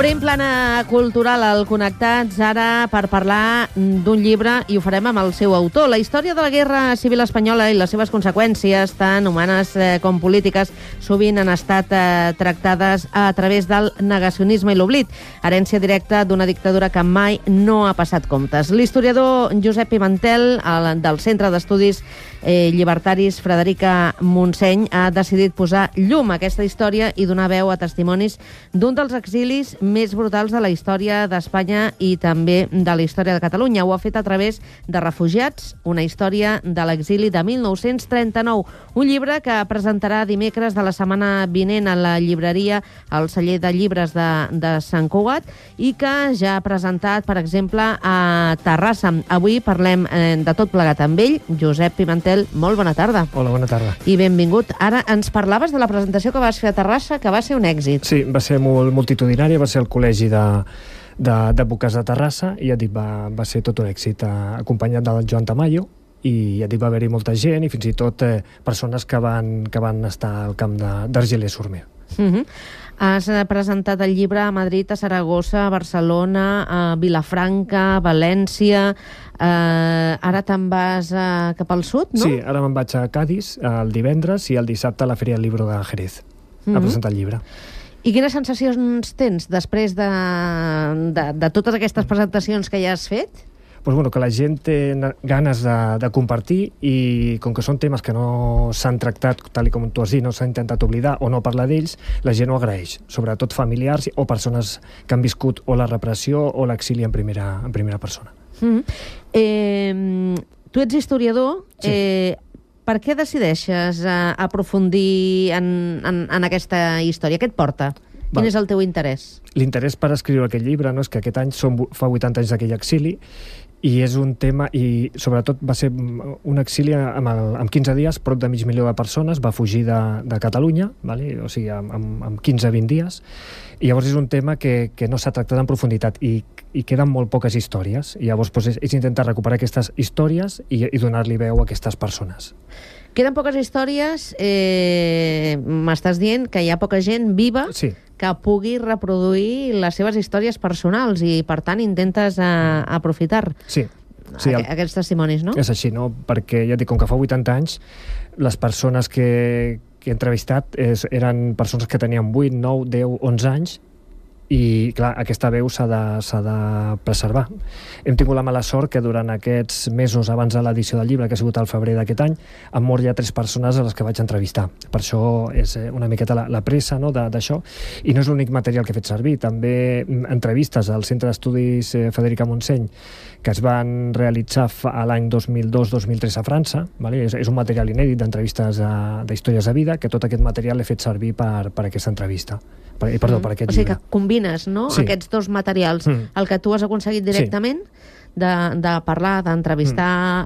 Obrim plana cultural al Connectats ara per parlar d'un llibre i ho farem amb el seu autor. La història de la Guerra Civil Espanyola i les seves conseqüències, tant humanes com polítiques, sovint han estat tractades a través del negacionisme i l'oblit, herència directa d'una dictadura que mai no ha passat comptes. L'historiador Josep Pimentel, del Centre d'Estudis Llibertaris Frederica Montseny, ha decidit posar llum a aquesta història i donar veu a testimonis d'un dels exilis més brutals de la història d'Espanya i també de la història de Catalunya. Ho ha fet a través de Refugiats, una història de l'exili de 1939. Un llibre que presentarà dimecres de la setmana vinent a la llibreria al celler de llibres de Sant Cugat i que ja ha presentat, per exemple, a Terrassa. Avui parlem de tot plegat amb ell. Josep Pimentel, molt bona tarda. Hola, bona tarda. I benvingut. Ara ens parlaves de la presentació que vas fer a Terrassa, que va ser un èxit. Sí, va ser molt multitudinària, va ser el Col·legi d'Advocats de Terrassa i ja et dic, va ser tot un èxit, acompanyat del Joan Tamayo, i ja et dic, va haver-hi molta gent i fins i tot persones que van estar al camp d'Argelers-sur-Mer. Has presentat el llibre a Madrid, a Saragossa, a Barcelona, a Vilafranca, a València. Ara te'n vas cap al sud, no? Sí, ara me'n vaig a Cádiz el divendres i el dissabte a la Feria del Libro de Jerez a presentar el llibre. I quines sensacions tens després de totes aquestes presentacions que ja has fet? Pues bueno, que la gent té ganes de compartir i com que són temes que no s'han tractat, tal com tu has dit, no s'ha intentat oblidar o no parlar d'ells, la gent ho agraeix, sobretot familiars o persones que han viscut o la repressió o l'exili en primera persona. Tu ets historiador, sí. Per què decideixes aprofundir en aquesta història? Què et porta? Quin és el teu interès? L'interès per escriure aquest llibre és que aquest any fa 80 anys d'aquell exili i és un tema, i sobretot va ser un exili amb 15 dies, prop de 500.000 de persones, va fugir de Catalunya, vale? O sigui, amb 15-20 dies, i llavors és un tema que no s'ha tractat en profunditat i queden molt poques històries, i llavors és intentar recuperar aquestes històries i donar-li veu a aquestes persones. Queden poques històries, m'estàs dient que hi ha poca gent viva, sí, que pugui reproduir les seves històries personals i, per tant, intentes aprofitar aquests testimonis, no? És així, no? Perquè, ja dic, com que fa 80 anys, les persones que he entrevistat eren persones que tenien 8, 9, 10, 11 anys i, clar, aquesta veu s'ha de preservar. Hem tingut la mala sort que durant aquests mesos abans de l'edició del llibre, que ha sigut al febrer d'aquest any, han mort ja 3 persones a les que vaig entrevistar. Per això és una miqueta la pressa, no, d'això. I no és l'únic material que he fet servir. També entrevistes al Centre d'Estudis Frederica Montseny, que es van realitzar a l'any 2002-2003 a França. Vale? És un material inèdit d'entrevistes d'històries de vida, que tot aquest material l'he fet servir per aquesta entrevista. Per aquest llibre. O sigui que combines, no? Sí. Aquests dos materials, el que tu has aconseguit directament, de parlar, d'entrevistar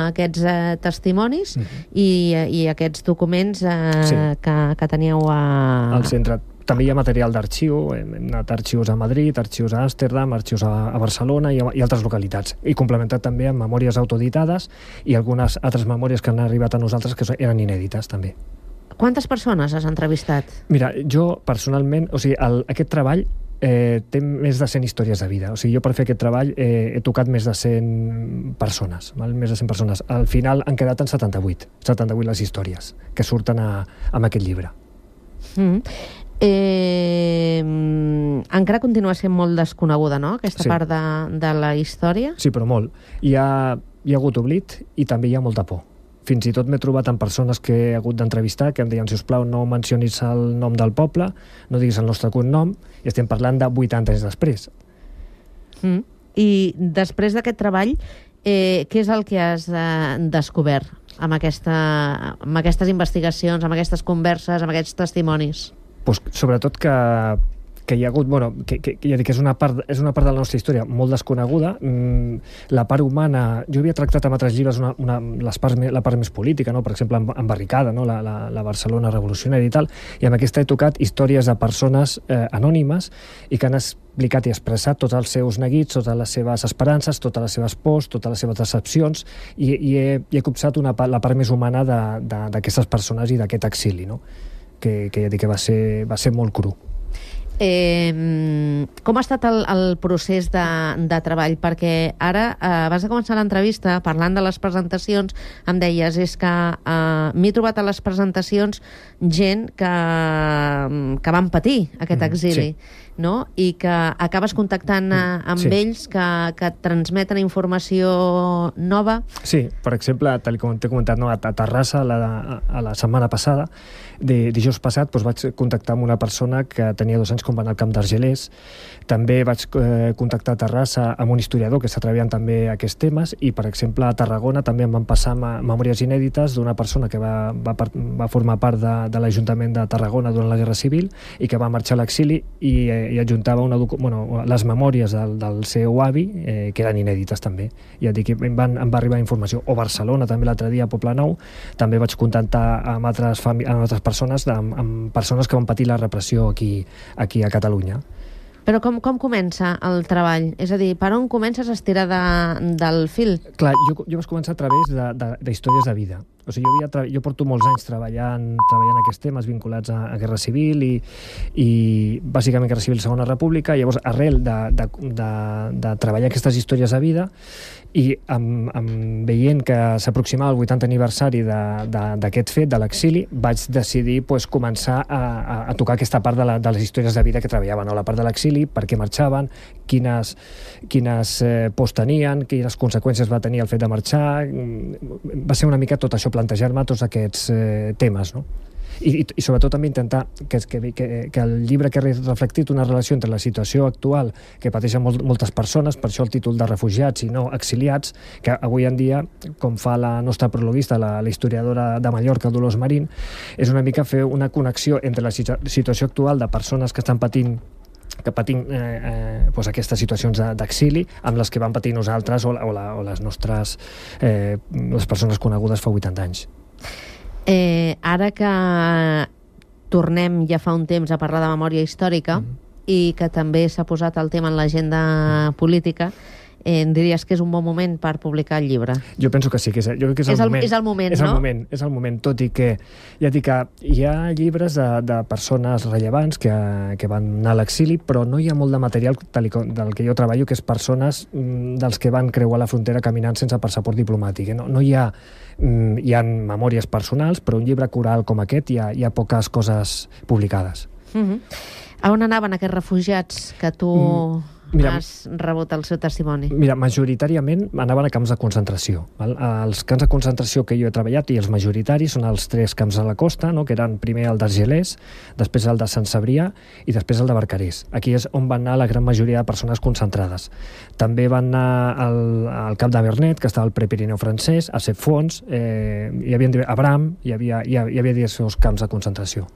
aquests testimonis i aquests documents que teníeu al centre. També hi ha material d'arxiu, hem anat a arxius a Madrid, arxius a Amsterdam, arxius a Barcelona i altres localitats. I complementat també amb memòries autoeditades i algunes altres memòries que han arribat a nosaltres que eren inèdites també. Quantes persones has entrevistat? Mira, jo personalment, o sigui, aquest treball té més de 100 històries de vida. O sigui, jo per fer aquest treball he tocat més de 100 persones, val? Més de 100 persones. Al final han quedat en 78 les històries que surten amb aquest llibre. Encara continua sent molt desconeguda, no?, aquesta part de la història? Sí, però molt. Hi ha hagut oblit i també hi ha molta por. Fins i tot m'he trobat amb persones que he hagut d'entrevistar que em deien, sisplau, no mencionis el nom del poble, no diguis el nostre cognom, i estem parlant de 80 anys després. I després d'aquest treball, què és el que has descobert amb aquestes investigacions, amb aquestes converses, amb aquests testimonis? Pues, sobretot que hi ha hagut, que ja dic, és una part de la nostra història molt desconeguda. La part humana, jo havia tractat amb altres llibres la part més política, no? Per exemple, en Barricada, no? la Barcelona revolucionària i tal, i amb aquesta he tocat històries de persones anònimes i que han explicat i expressat tots els seus neguits, totes les seves esperances, totes les seves pors, totes les seves decepcions, i he copsat la part més humana d'aquestes persones i d'aquest exili, no? Que ja dic que va ser molt cru. Com ha estat el procés de treball? Perquè ara, abans de començar l'entrevista, parlant de les presentacions, em deies, és que m'he trobat a les presentacions gent que van patir aquest exili, no? I que acabes contactant amb ells que et transmeten informació nova. Sí, per exemple, tal com t'he comentat, a Terrassa, a la setmana passada, dijous passat, vaig contactar amb una persona que tenia 2 anys quan va anar al camp d'Argelers. També vaig contactar a Terrassa amb un historiador que està treballant també aquests temes, i, per exemple, a Tarragona també em van passar memòries inèdites d'una persona que va formar part de l'Ajuntament de Tarragona durant la Guerra Civil i que va marxar a l'exili i adjuntava les memòries del seu avi, que eren inèdites també. Ja et dic, em va arribar informació. O Barcelona, també l'altre dia, a Poblenou, també vaig contactar amb altres persones, amb persones que van patir la repressió aquí a Catalunya. Però com comença el treball? És a dir, per on comences a estirar del fil? Clar, jo vaig començar a través d'històries de vida. O sigui, jo porto molts anys treballant aquests temes vinculats a Guerra Civil i bàsicament Guerra Civil i Segona República. Llavors, arrel de treballar aquestes històries de vida i veient que s'aproximava el 80 aniversari d'aquest fet, de l'exili, vaig decidir començar a tocar aquesta part de les històries de vida que treballaven, la part de l'exili, per què marxaven, quines pors tenien, quines conseqüències va tenir el fet de marxar. Va ser una mica tot això, plantejar-me tots aquests temes, no? I sobretot també intentar que el llibre que ha reflectit una relació entre la situació actual que pateixen moltes persones, per això el títol de refugiats i no exiliats, que avui en dia, com fa la nostra prologuista, la historiadora de Mallorca, Dolors Marín, és una mica fer una connexió entre la situació actual de persones que estan patint aquestes situacions d'exili amb les que van patir nosaltres o les nostres les persones conegudes fa 80 anys. Ara que tornem ja fa un temps a parlar de memòria històrica i que també s'ha posat el tema en l'agenda política, diries que és un bon moment per publicar el llibre? Jo penso que sí, jo crec que és el moment. És el moment, no? És el moment, tot i que ja dic que hi ha llibres de persones rellevants que van anar a l'exili, però no hi ha molt de material del que jo treballo, que és persones dels que van creuar la frontera caminant sense passaport diplomàtic. No hi ha memòries personals, però un llibre coral com aquest hi ha poques coses publicades. A on anaven aquests refugiats que tu has rebut el seu testimoni? Mira, majoritàriament anaven a camps de concentració. Els camps de concentració que jo he treballat, i els majoritaris, són els 3 camps a la costa, que eren primer el d'Argelers, després el de Sant Cebrià i després el de Barcarès. Aquí és on van anar la gran majoria de persones concentrades. També van anar al camp de Vernet, que estava al Prepirineu francès, a Cefons, hi havia Abram, hi havia diversos camps de concentració.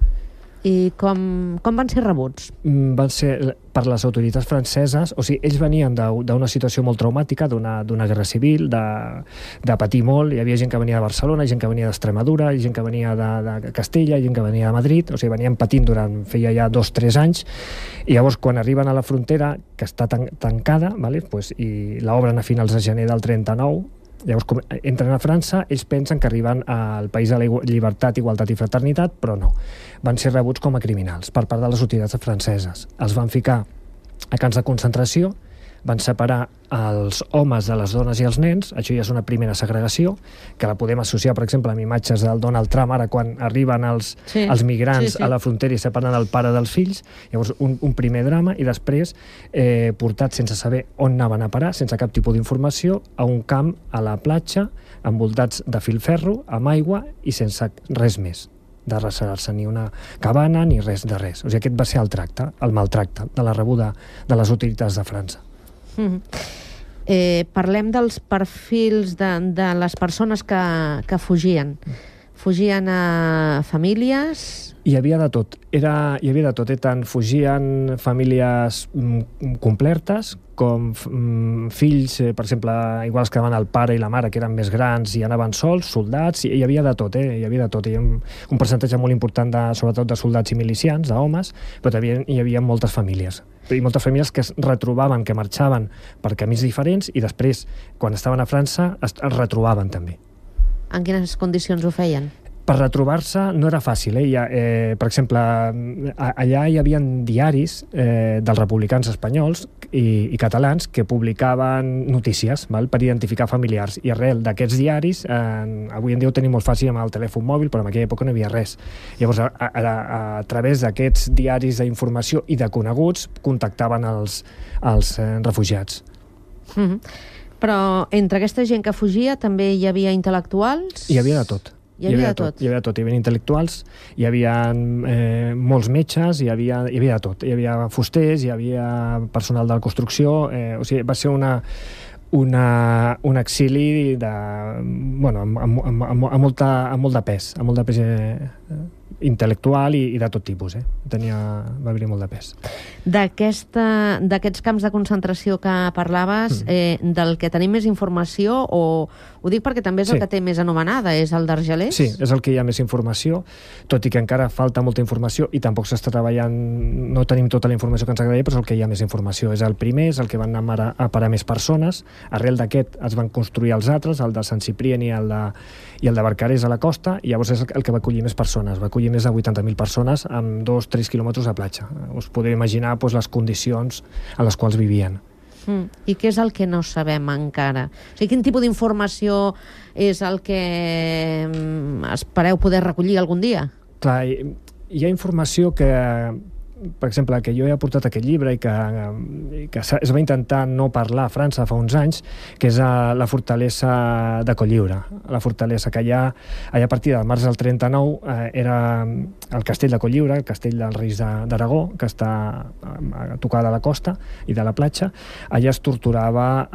I com van ser rebuts? Van ser per les autoritats franceses, o sigui, ells venien d'una situació molt traumàtica, d'una guerra civil, de patir molt. Hi havia gent que venia de Barcelona, gent que venia d'Extremadura, gent que venia de Castella, gent que venia de Madrid, o sigui, venien patint feia ja 2-3 anys, i llavors quan arriben a la frontera, que està tancada, i l'obren a finals de gener del 39, llavors entren a França, ells pensen que arriben al país de la llibertat, igualtat i fraternitat, però no. Van ser rebuts com a criminals per part de les autoritats franceses. Els van ficar a camps de concentració, van separar els homes de les dones i els nens. Això ja és una primera segregació, que la podem associar, per exemple, amb imatges del Donald Trump, ara quan arriben els migrants a la frontera i separen el pare dels fills. Llavors, un primer drama, i després portats sense saber on anaven a parar, sense cap tipus d'informació, a un camp a la platja, envoltats de filferro, amb aigua i sense res més de reservar-se, ni una cabana ni res de res. O sigui, aquest va ser el maltracte de la rebuda de les autoritats de França. Parlem dels perfils de les persones que fugien. Fugien a famílies? Hi havia de tot. Tant fugien famílies completes com fills, per exemple, iguals que anaven el pare i la mare, que eren més grans i anaven sols, soldats, hi havia de tot, hi havia de tot. Hi havia un percentatge molt important, sobretot de soldats i milicians, d'homes, però també hi havia moltes famílies. I moltes famílies que es retrobaven, que marxaven per camins diferents i després, quan estaven a França, es retrobaven també. En quines condicions ho feien? Per retrobar-se no era fàcil. Per exemple, allà hi havia diaris dels republicans espanyols i catalans que publicaven notícies, val, per identificar familiars. I arrel d'aquests diaris, avui en dia ho tenim molt fàcil amb el telèfon mòbil, però en aquella època no hi havia res. Llavors, a través d'aquests diaris d'informació i de coneguts, contactaven els refugiats. Però entre aquesta gent que fugia també hi havia intel·lectuals? Hi havia de tot. Hi havia de tot. Hi havia intel·lectuals, hi havia molts metges, hi havia de tot. Hi havia fusters, hi havia personal de la construcció, o sigui, va ser un exili amb molt de pes, intel·lectual i de tot tipus. Va haver-hi molt de pes. D'aquests camps de concentració que parlaves, del que tenim més informació, o ho dic perquè també és el que té més anomenada, és el d'Argelers? Sí, és el que hi ha més informació, tot i que encara falta molta informació i tampoc s'està treballant, no tenim tota la informació que ens agradaria, però és el que hi ha més informació. És el primer, és el que van anar a parar més persones. Arrel d'aquest es van construir els altres, el de Sant Ciprien i el de Barcarès a la costa, i llavors és el que va acollir més persones. Va acollir més de 80.000 persones amb 2-3 quilòmetres de platja. Us podeu imaginar les condicions en les quals vivien. I què és el que no sabem encara? O sigui, quin tipus d'informació és el que espereu poder recollir algun dia? Clar, hi ha informació que, per exemple, que jo he aportat aquest llibre i que es va intentar no parlar a França fa uns anys, que és la fortalesa de Cotlliure. La fortalesa que allà a partir del març del 39 era el castell de Cotlliure, el castell dels reis d'Aragó, que està a tocar de la costa i de la platja. Allà es torturava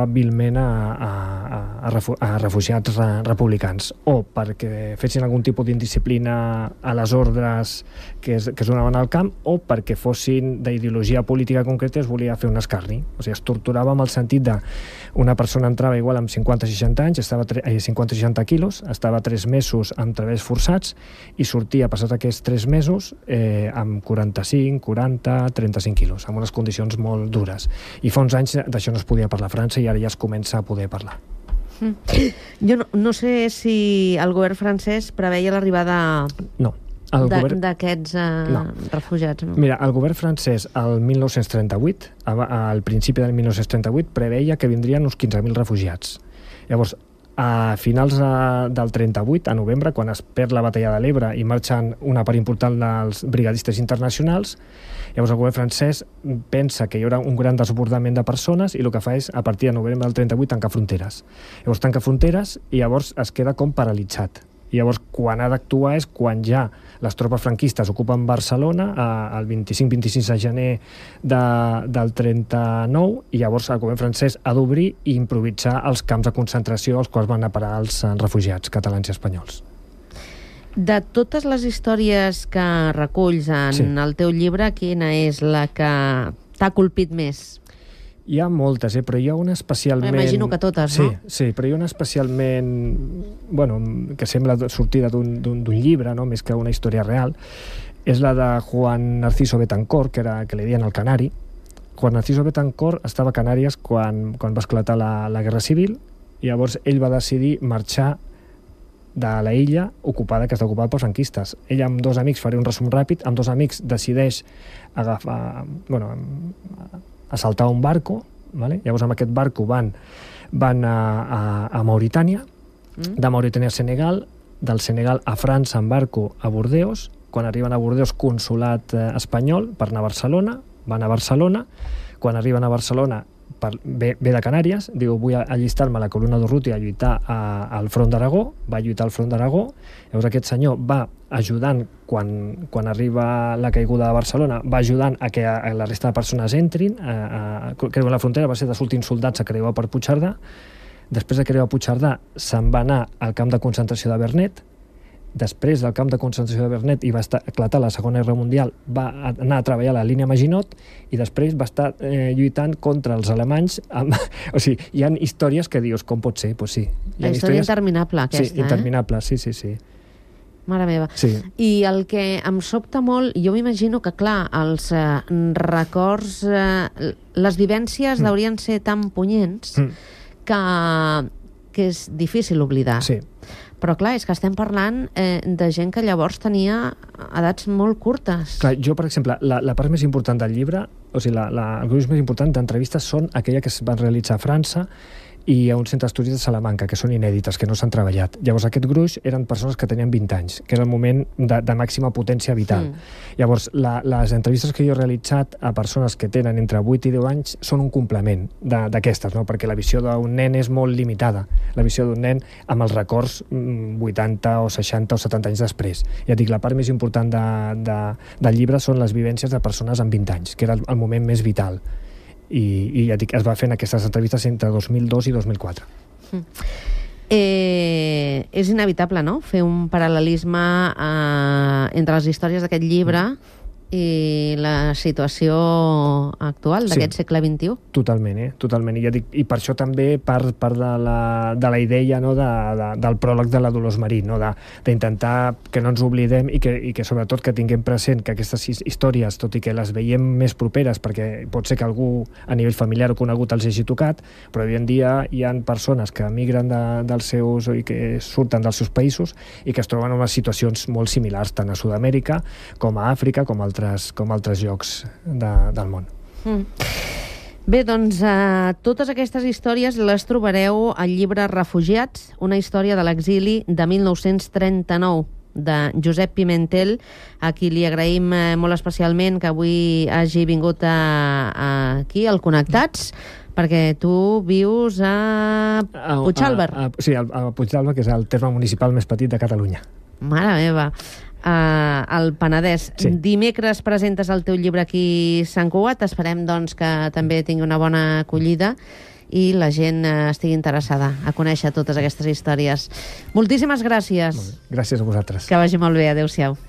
vilment a refugiats republicans, o perquè fessin algun tipus d'indisciplina a les ordres que es donaven al camp, o perquè fossin d'ideologia política concreta i es volia fer un escarni. O sigui, es torturava amb el sentit de una persona entrava igual amb 50-60 anys, 50-60 quilos, estava 3 mesos amb treballs forçats i sortia, passat aquests 3 mesos, amb 45, 40, 35 quilos, amb unes condicions molt dures. I fa uns anys d'això no es podia parlar a França i ara ja es comença a poder parlar. Jo no sé si el govern francès preveia l'arribada d'aquests refugiats. Mira, el govern francès al 1938, al principi del 1938, preveia que vindrien uns 15.000 refugiats. Llavors, a finals del 38, a novembre, quan es perd la batalla de l'Ebre i marxen una part important dels brigadistes internacionals, llavors el govern francès pensa que hi haurà un gran desbordament de persones i el que fa és, a partir de novembre del 38, tancar fronteres. Llavors tanca fronteres i llavors es queda com paralitzat. I llavors, quan ha d'actuar és quan ja les tropes franquistes ocupen Barcelona el 25-26 de gener del 39, i llavors el govern francès ha d'obrir i improvisar els camps de concentració als quals van anar a parar els refugiats catalans i espanyols. De totes les històries que reculls en el teu llibre, quina és la que t'ha colpit més? Hi ha moltes, però hi ha una especialment... M'imagino que totes, no? Sí, però hi ha una especialment... que sembla sortida d'un llibre, no? Més que una història real. És la de Juan Narciso Betancor, que li deien el Canari. Juan Narciso Betancor estava a Canàries quan va esclatar la Guerra Civil, i llavors ell va decidir marxar de la illa ocupada, que està ocupada pels franquistes. Ell amb 2 amics, faré un resum ràpid, amb 2 amics decideix assaltar un barco, ¿vale? Llavors amb aquest barco van a Mauritània, de Mauritània a Senegal, del Senegal a França en barco a Bordeus. Quan arriben a Bordeus, consulat espanyol, per anar a Barcelona, van a Barcelona. Quan arriben a Barcelona, ve de Canàries, diu, vull allistar-me a la columna d'Urruti a lluitar al front d'Aragó, va lluitar al front d'Aragó. Llavors aquest senyor va ajudant, quan arriba la caiguda de Barcelona, va ajudant a que la resta de persones entrin, creuen la frontera, va ser dels últims soldats a creuar per Puigcerdà. Després de creuar Puigcerdà se'n va anar al camp de concentració de Vernet. Després del camp de concentració de Vernet i va esclatar la Segona Guerra Mundial, va anar a treballar a la línia Maginot i després va estar lluitant contra els alemanys. O sigui, hi ha històries que dius, com pot ser? Pues sí. La història interminable, aquesta. Sí, interminable, sí. Mare meva. Sí. I el que em sobta molt, jo m'imagino que, clar, els records, les vivències haurien ser tan punyents que que és difícil oblidar. Sí. Però clar, és que estem parlant de gent que llavors tenia edats molt curtes. Clar, jo, per exemple, la part més important del llibre, o sigui, el gruix més important d'entrevistes són aquella que es van realitzar a França i a un centre d'estudis de Salamanca, que són inèdites, que no s'han treballat. Llavors, aquest gruix eren persones que tenien 20 anys, que era el moment de màxima potència vital. Llavors, les entrevistes que jo he realitzat a persones que tenen entre 8 i 10 anys són un complement d'aquestes, no? Perquè la visió d'un nen és molt limitada. La visió d'un nen amb els records 80 o 60 o 70 anys després. Ja dic, la part més important del llibre són les vivències de persones amb 20 anys, que era el moment més vital. I ja dic, es va fent aquestes entrevistes entre 2002 i 2004. És inevitable, no?, fer un paral·lelisme entre les històries d'aquest llibre i la situació actual d'aquest segle XXI. Totalment, totalment. I ja dic, i per això també part de la idea, no, del pròleg de la Dolors Marín, no, d'intentar que no ens oblidem i que sobretot que tinguem present que aquestes històries, tot i que les veiem més properes, perquè pot ser que algú a nivell familiar o conegut els hagi tocat, però avui en dia hi ha persones que emigren dels seus i que surten dels seus països i que es troben en unes situacions molt similars tant a Sud-amèrica com a Àfrica, com altres llocs del món. Bé, doncs totes aquestes històries les trobareu al llibre Refugiats, una història de l'exili de 1939, de Josep Pimentel, a qui li agraïm molt especialment que avui hagi vingut aquí, al Connectats, perquè tu vius a Puigdàlber. Sí, a Puigdàlber, que és el terme municipal més petit de Catalunya. Mare meva. Al Penedès. Sí. Dimecres presentes el teu llibre aquí a Sant Cugat. Esperem, doncs, que també tingui una bona acollida i la gent estigui interessada a conèixer totes aquestes històries. Moltíssimes gràcies. Gràcies a vosaltres. Que vagi molt bé. Adéu-siau.